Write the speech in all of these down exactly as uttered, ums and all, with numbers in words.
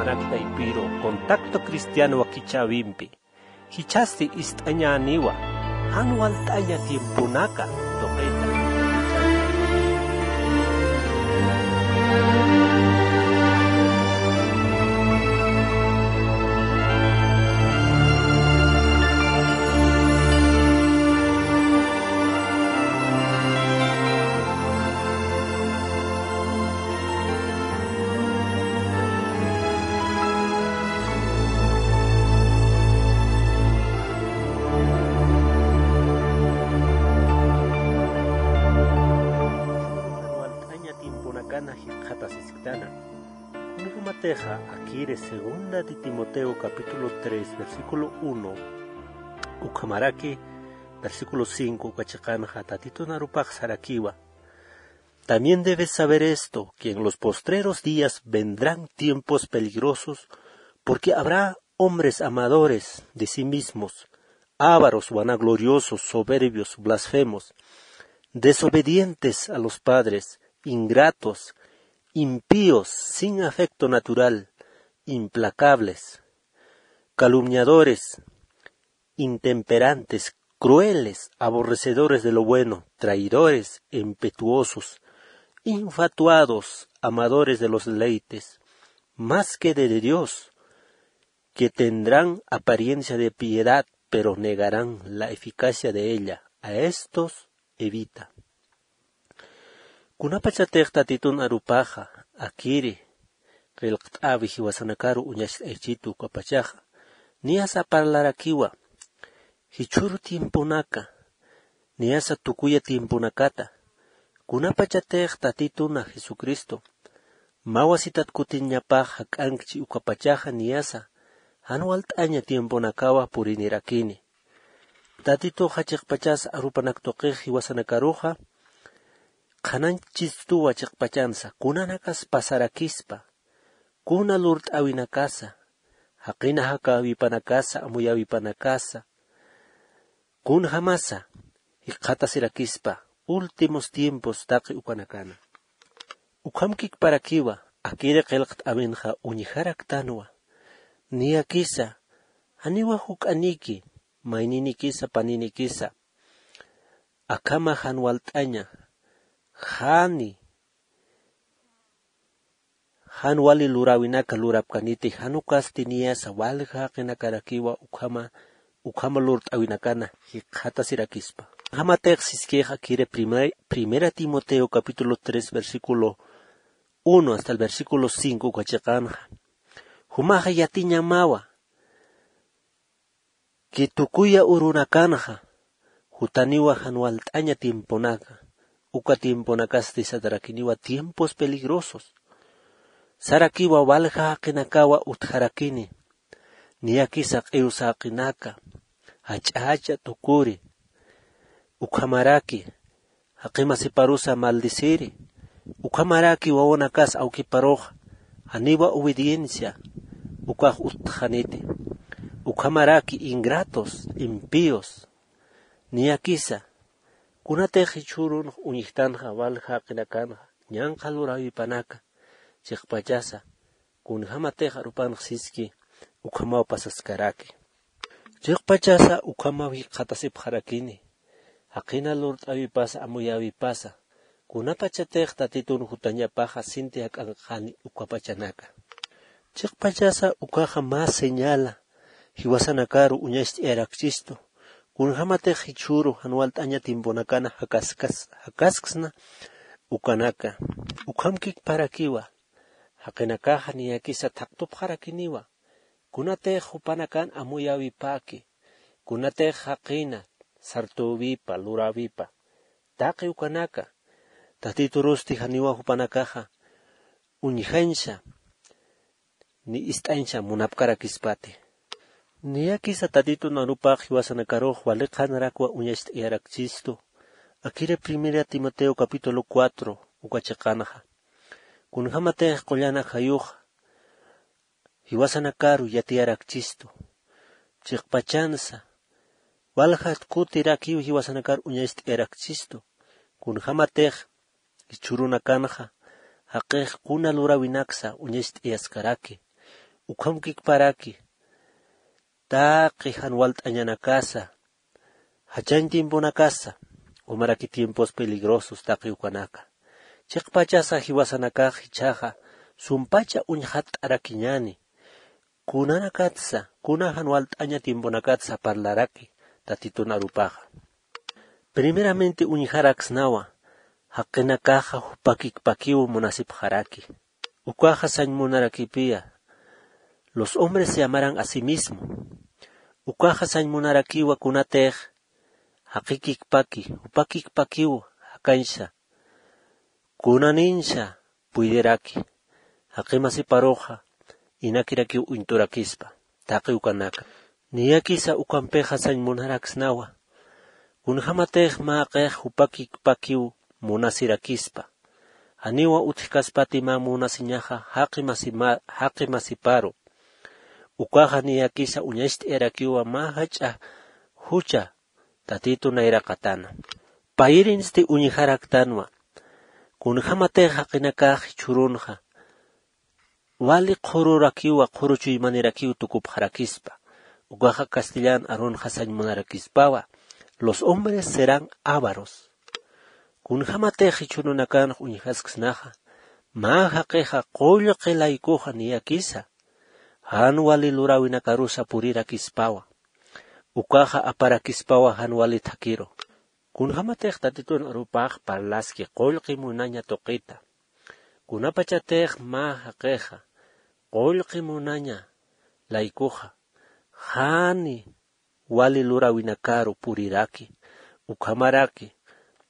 Manak taypiru contacto cristiano wakichäwimpi jichhasti ist'añäniwa jan walt'aña tiemponaka tuqita. Walt'aña tiemponakana jikxatasisktana. Kunjamatixa akiri segunda de Timoteo capítulo tres, versículo uno, ukhamaraki versículo cinco uka chiqanxa Tatitun arupax sarakiwa: También debes saber esto, que en los postreros días vendrán tiempos peligrosos, porque habrá hombres amadores de sí mismos, ávaros, vanagloriosos, soberbios, blasfemos, desobedientes a los padres, ingratos, impíos, sin afecto natural, implacables, calumniadores, intemperantes, crueles, aborrecedores de lo bueno, traidores, impetuosos, infatuados, amadores de los deleites más que de Dios, que tendrán apariencia de piedad, pero negarán la eficacia de ella. A estos evita. Kunapachatix Tatitun arupaxa akiri qillqt'awi jiwasanakaru uñacht'ayachitu ukapachaxa, niyasa parlarakiwa jichhüru tiemponaka, niyasa tukuya tiemponakata, kunapachatix Tatituna Jesucristo mä wasitat kutiñapax jak'ankchi ukapachaxa niyasa jan walt'aña tiemponakawa purinirakini. Tatituxa chiqpachas arupanak tuqix jiwasanakaruxa qhanañchistuwa chiqpachansa, kunanakas pasarakispa, kuna lurt'äwinakasa, jaqina jakäwipanakasa, amuyäwipanakasa, kunjamasa jikxatasirakispa últimos tiempos taqi ukanakana. Ukhamkikparakiwa akiri qillqt'äwinxa uñjaraktanwa, niyakisa janiwa juk'aniki, mayninikisa, paninikisa, akhama jan walt'aña, jani, jan wali luräwinaka lurapkaniti, jan ukasti niyasa walja jaqinakarakiwa ukhama, ukhama lurt'äwinakana jikxatasirakispa. Jamatix siskix akiri primer-, Primera Timoteo capítulo tres, versículo uno hasta el versículo cinco uka chiqanxa. Jumaxa yatiñamawa, que tukuya urunakanxa jutaniwa jan walt'aña tiemponaka, uka tiemponakasti satarakiniwa tiempos peligrosos. Sarakiwa walja jaqinakawa utjarakini, niyakisa q'iw saqinaka, jach'a jach'a tukuri, ukhamaraki jaqimasiparusa maldeciri, ukhamaraki wawanakas awkiparux janiwa obediencia ukax utjaniti, ukhamaraki ingratos, impíos, niyakisa, kunatix jichhürunx uñjtanxa walja jaqinakanxa, ñanqha luräwipanaka, chiqpachasa, kunjamatix arupanx siski, ukhamaw pasaskaraki. Chiqpachasa ukhamaw jikxatasipxarakini, jaqina lurt'äwipasa, amuyäwipasa, kunapachatix Tatitun jutañapaxa sinti jak'ankxani ukapachanaka. Chiqpachasa ukaxa mä señala, jiwasanakaru uñacht'ayarakchistu, kunjamatix jichhüru jan walt'aña tiemponakana jakaskas-, jakasksna ukanaka. Ukhamkikparakiwa, jaqinakaxa niyakisa thaqtupxarakiniwa, kunatix jupanakan amuyäwipäki, kunatix jaqina sartüwipa, luräwipa, taqi ukanaka, Tatiturusti janiwa jupanakaxa uñjañsa, ni ist'añsa munapkarakispati. Niyakisa Tatitun arupax jiwasanakarux wali qhanarakwa uñacht'ayarakchistu. Akiri Primera Timoteo capítulo cuatro uka chiqanxa. Kunjamatix qullana jayux jiwasanakaru yatiyarakchistu, chiqpachansa, waljat kutirakiw jiwasanakar uñacht'ayarakchistu, kunjamatix jichhürunakanxa, jaqix kuna luräwinaksa uñacht'ayaskaraki, Ukham kikparaki taqi jan walt'añanakasa, jachañ tiemponakasa, umaraki tiempos peligrosos taqi ukanaka. Chiqpachasa jiwasanakax jichhaxa sumpacha uñjatt'arakiñani. Kunanakatsa, kuna jan walt'aña tiemponakatsa parlaraki Tatitun arupaxa. Primeramente uñjaraksnawa, jaqinakaxa jupakikpakiw munasipxaraki. Ukaxa sañ munarakipiya, los hombres se amarán a sí mismo. Ukaxa sañ munarakiwa kunatix jaqikikpaki, jupakikpakiw jakañsa. Kunaninsa puydïraki, jaqimasiparuxa inakirakiw uñt'urakispa, taqi ukanaka. Niyakisa ukampixa sañ munaraksnawa, kunjämatix mä jaqix jupakikpakiw munasirakispa. Janiwa utjkaspati mä munasiñaxa jaqi masima-, jaqi masiparu. Ukaxa niyakisa uñacht'ayarakiwa mä jach'a jucha Tatitu nayraqatana. Payirinsti uñjaraktanwa. Kunjämatix jaqinakax jichhürunxa wali qhururakiwa, qhuru chuymanirakiw tukupxarakispa. Ukaxa castellan arunxa sañ munarakispawa, los hombres serán ávaros. Kunjämatix jichhürunakanx uñjasksnaxa, mä jaqixa qullqi laykuxa niyakisa jan wali luräwinakarusa purirakispawa. Ukaxa aparakispawa jan wali thakiru. Kunjämatix Tatitun arupax parlaski qullqi munaña tuqita. Kunapachatix mä jaqixa qullqi munaña laykuxa, jani wali luräwinakaru puriraki, ukhamaraki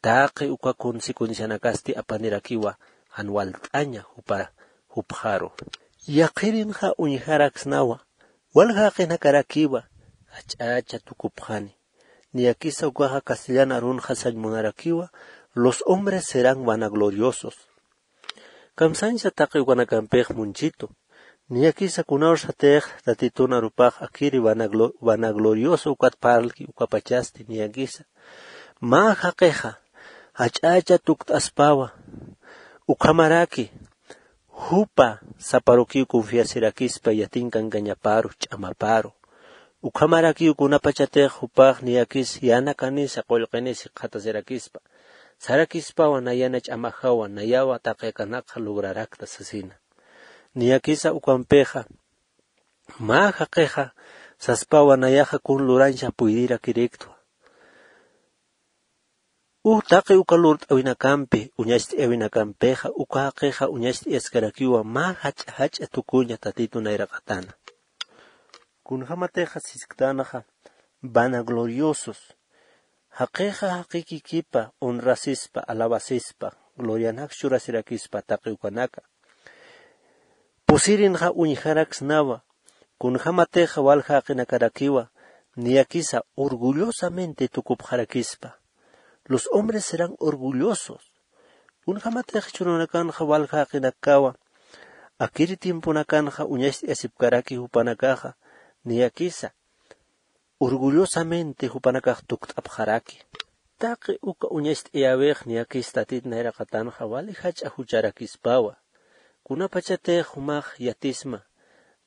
taqi uka consecuencianakasti apanirakiwa jan walt'aña jupa-, jupxaru. Yaqirinxa uñjaraksnawa, walja jaqinakarakiwa jach'acha tukupxani. Niyakisa ukaxa castellan arunxa sañ munarakiwa, los hombres serán vanagloriosos. Kamsañsa taqi ukanakampix munchitu. Niyakisa kunawsatix Tatitun arupax akiri vanaglo-, vanaglorioso ukat parlki ukapachasti niyakisa. Mä jaqixa jach'acha tukt'aspawa. Ukhamaraki jupa saparukiw confiasirakispa yatin kankañaparu, ch'amaparu. Ukhamarakiw kunapachatix jupax niyakis yäna kanisa qullqinis jikxatasirakispa. Sarakispawa nayana ch'amajawa, nayawa taqi akanakxa lograrakta sasina. Niyakisa ukampixa, mä jaqixa saspawa nayaxa kun lurañsa puydirakiriktwa. Uj taqi uka lurt'äwinakampi, uñacht'ayäwinakampixa, uka jaqixa uñacht'ayaskarakiwa mä jach'a jach'a tukuña Tatitu nayraqatana. Kunjämatixa sisktanxa vanagloriosos. Jaqixa jaqikikipa, honrasispa, alabasispa, glorianaks churasirakispa taqi ukanaka. Pusirinxa uñjaraksnawa, kunjämatixa walja jaqinakarakiwa, niyakisa orgullosamente tukupxarakispa. Los hombres serán orgullosos. Kunjämatix jichhürunakanxa walja jaqinakawa, akiri tiemponakanxa uñacht'ayasipkaraki jupanakaxa, niyakisa orgullosamente jupanakax tukt'apxaraki. Taqi uka uñacht'ayäwix niyakis Tatit nayraqatanxa wali jach'a jucharakispawa. Kunapachatix jumax yatisma,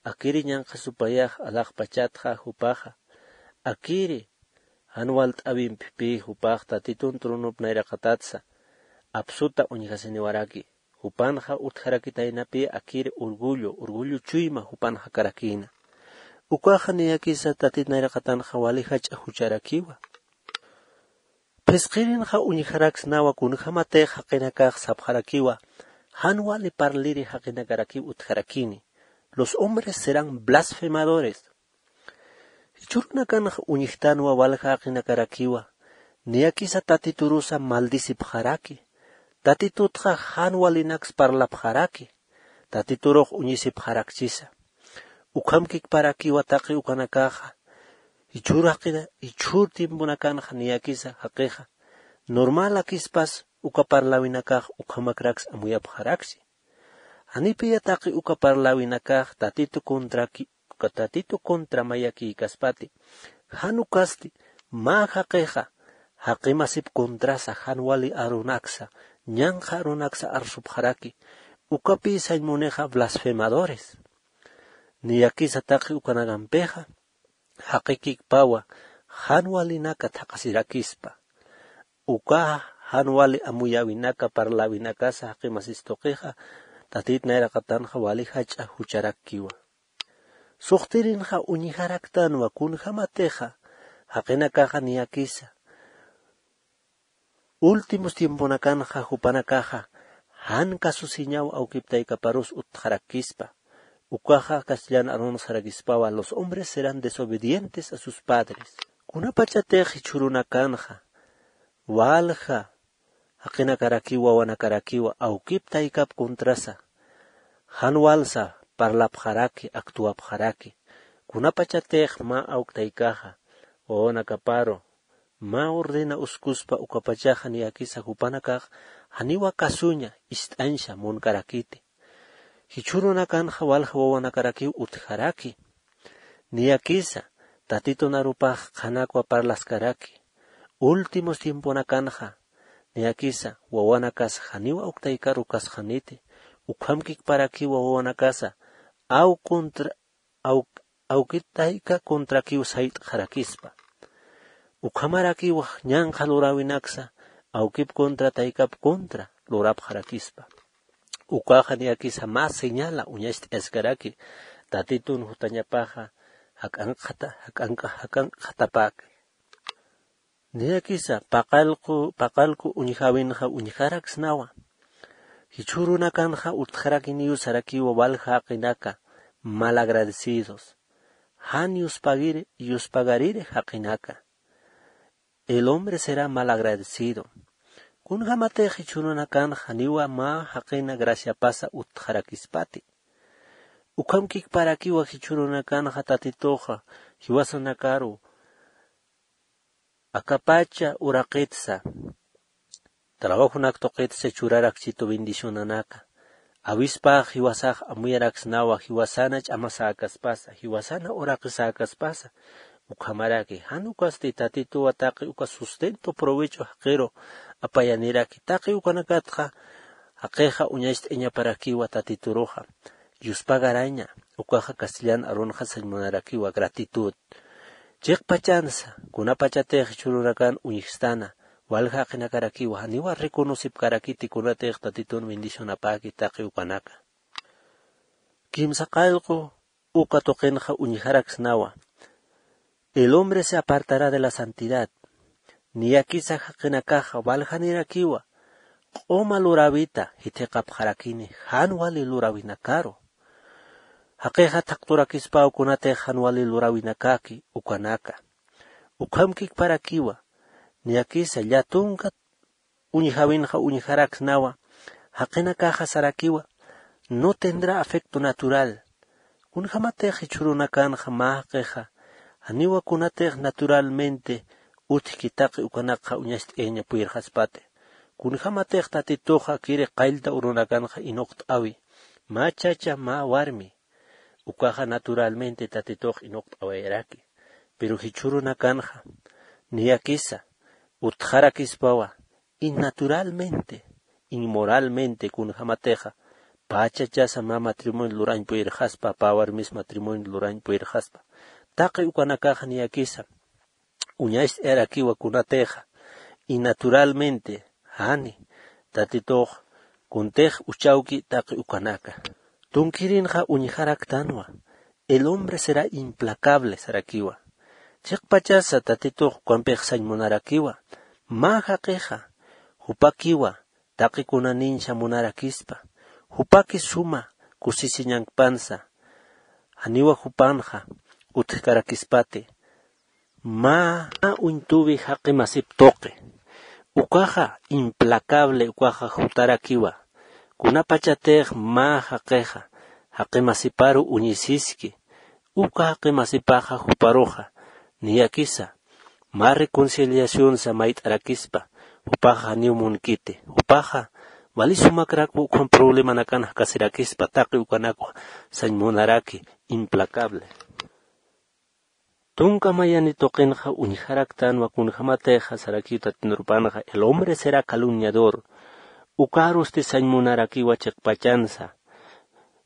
akiri ñanqha supayax alaxpachatxa jupaxa, akiri jan walt'äwimpi jupax Tatitun tronup nayraqatatsa apsuta uñjasiniwaraki. Jupanxa utjarakitaynapi akiri orgullo, orgullo chuyma jupan jakarakïna. Ukaxa niyakisa Tatit nayraqatanxa wali jach'a jucharakiwa. Phisqirinxa uñjaraksnawa kunjämatix jaqinakax sapxarakiwa, jan wali parliri jaqinakarakiw utjarakini. Los hombres serán blasfemadores. Jichhürunakanxa uñjtanwa walja jaqinakarakiwa, niyakisa Tatiturusa maldisipxaraki. Tatitutxa jan walinaks parlapxaraki. Tatiturux uñisipxarakchisa. Ukham kikparakiwa taqi ukanakaxa. Jichhür jaqina, jichhür tiemponakanxa niyakisa jaqixa. Normalakispas uka parläwinakax ukhamakraks amuyapxaraksi. Janipiya taqi uka parläwinakax Tatitu contraki-, uka Tatitu contra mayakïkaspati. Jan ukasti, mä jaqixa, jaqimasip contrasa, jan wali arunaksa, ñanqha arunaksa arsupxaraki, ukapï sañ munixa blasfemadores. Niyakisa taqi ukanakampixa jaqikikpawa jan walinaka thaqhasirakispa. Uka jan wali amuyäwinaka parläwinakasa jaqi masis tuqixa tatit nayraqatanxa wali jach'a jucharakkiwa. Suxtirinxa uñjaraktanwa kunjämatixa jaqinakaxa niyakisa últimos tiemponakanxa jupanakaxa jan kasusiñaw awkip taykaparus utjarakispa. Ukaxa castellan arun sarakispawa los hombres serán desobedientes a sus padres. Kunapachatix jichhürunakanxa walja jaqinakarakiw wawanakarakiwa awkip taykap contrasa jan walsa parlapxaraki actuapxaraki. Kunapachatix mä awk taykaxa wawanakaparu mä ordena uskuspa ukapachaxa niyakisa jupanakax janiwa kasuña ist'añsa munkarakiti. Jichhürunakanxa walja wawanakarakiw utjaraki. Niyakisa tatitun arupax qhanakwa parlaskaraki. Últimos tiemponakanxa niyakisa wawanakasa janiwa awk taykaru kasxaniti. Ukhamkikparakiwa wawanakasa awk contra awk awkit tayka contrakiw sayt'xarakispa. Ukhamarakiw ñanqha luräwinaksa awkip contra taykap contra lurapxarakispa. Ukaxa niyakisa mä señala uñacht'ayaskaraki tatitun jutañapaxa jak'ankxata jak'ank'a jak'ankxatapäki. Niyakisa paqallqu paqallqu uñjäwinxa uñjaraksnawa. Jichhürunakanxa utjarakiniw sarakiwa walja jaqinaka malagradecidos. Jan yuspagiri yuspagariri jaqinaka. El hombre será malagradecido. Kunjämatix jichhürunakanxa janiwa mä jaqina graciapasa utjarakispati. Ukhamkikparakiwa jichhürunakanxa tatituxa jiwasanakaru akapacha uraqitsa trabajonak tuqitsa churarakchitu bendicionanaka. Awispax jiwasax amuyaraksnawa jiwasana ch'amasäkaspasa jiwasana uraqisäkaspasa. Ukhamaraki jan ukasti tatituwa taqi uka sustento provecho jaqiru apayaniraki taqi ukanakatxa jaqixa uñacht'añaparakiwa tatituruxa. Yuspagaraña ukaxa castellan arunxa sañ munarakiwa gratitud. Chiqpachansa kunapachatix jichhürunakan uñjstana walja jaqinakarakiwa janiwa reconocipkarakiti kunatix tatitun bendicionapäki taqi ukanaka. Kimsa qallqu uka tuqinxa uñjaraksnawa. El hombre se apartará de la santidad. Niyakisa jaqinakaxa waljanirakiwa q'uma luräwita jithiqapxarakini jan wali luräwinakaru. Jaqixa thaqturakispaw kunatix jan wali luräwinakaki ukanaka. Ukhamkikparakiwa niyakisa llatunka uñjäwinxa uñjaraksnawa. Jaqinakaxa sarakiwa no tendrá afecto natural. Kunjämatix jichhürunakanxa mä jaqixa janiwa kunatix naturalmente utjki taqi ukanakxa uñacht'ayaña puyirxaspati. Kunjämatix tatituxa kiri qallta urunakanxa inuqt'äwi mä chacha mä warmi ukaxa naturalmente tatitux inuqt'awayaraki. Pero jichhürunakanxa niyakisa utjarakispawa innaturalmente inmoralmente kunjämatixa pä chachasa mä matrimonio lurañ puyirxaspa pä warmis matrimonio lurañ puyirxaspa. Taqi ukanakaxa niyakisa uñacht'ayarakiwa kunatixa innaturalmente jani tatitux kuntix uchawki taqi ukanaka. Tunkirinxa uñjaraktanwa. El hombre será implacable sarakiwa. Chiqpachasa tatitux ukampix sañ munarakiwa mä jaqixa jupakiwa taqi kunanïnsa munarakispa jupaki suma kusisiñankpansa janiwa jupanxa utjkarakispati. Mä uñtuwi jaqi masip tuqi ukaxa implacable ukaxa jutarakiwa. Kunapachatix mä jaqixa jaqi masiparu uñisiski uka jaqi masipaxa juparuxa niyakisa mä reconciliacionsa mayt'arakispa jupaxa janiw munkiti jupaxa wali sumakrakwa ukham problemanakan jakasirakispa taqi ukanakwa sañ munaraki implacable. Tunka mayani tuqinxa uñjaraktanwa kunjämatixa sarakiw tatinurupanxa el hombre será calumniador. Ukarusti sañ munarakiwa chiqpachansa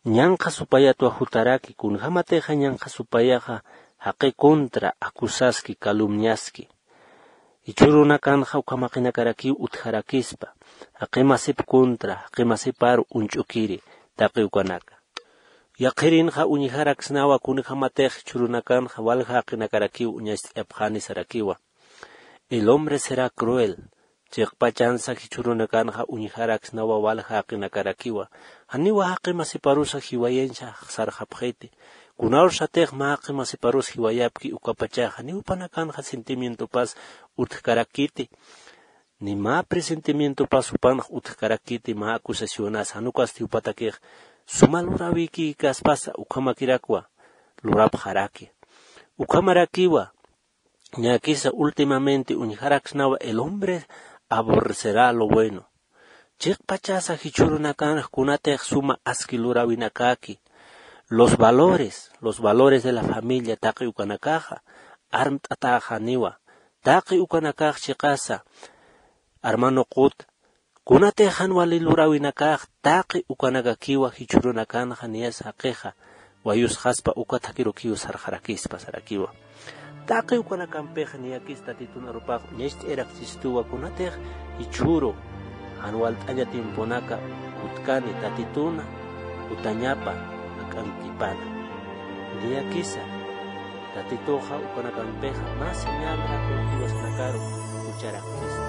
ñanqha supayatwa jutaraki, kunjämatixa ñanqha supayaxa jaqi contra acusaski, calumniaski. Jichhürunakanxa ukham jaqinakarakiw utjarakispa, jaqi masip contra, jaqi masiparu uñch'ukiri, taqi ukanaka. Yaqhirinxa uñjaraksnawa kunjämatix jichhürunakanxa walja jaqinakarakiw uñacht'ayapxani sarakiwa. El hombre será cruel. Chiqpachansa jichhürunakanxa uñjaraksnawa walja jaqinakarakiwa. Janiwa jaqi masiparusa jiwayansa sarxapxiti. Kunawsatix mä jaqi masiparus jiwayapki ukapachaxa, janiw jupanakanxa sentimientopas utjkarakiti. Ni mä presentimientopas jupanx utjkarakiti, mä acusacionas, jan ukasti jupatakix suma luräwikïkaspasa ukhamakirakwa lurapxaraki. Ukhamarakiwa, niyakisa últimamente uñjaraksnawa el hombre aborrecerá lo bueno. Chiqpachasa jichhürunakanx kunatix suma aski luräwinakäki, los valores, los valores de la familia taqi ukanakaxa armt'atäxaniwa. Taqi ukanakax chiqasa, hermano Qut, kunatix jan wali luräwinakax taqi ukanakakiwa jichhürunakanxa niyas jaqixa wayusxaspa uka thakirukiw sarxarakispa sarakiwa. Taqi ukanakampix niyakis Tatitun arupax uñacht'ayaraksistuwa kunatix jichhüru jan walt'aña tiemponaka jutkani Tatituna jutañapa jak'ankipana. Niyakisa Tatituxa ukanakampixa mä señalxa confianzanakaru jucharakispa.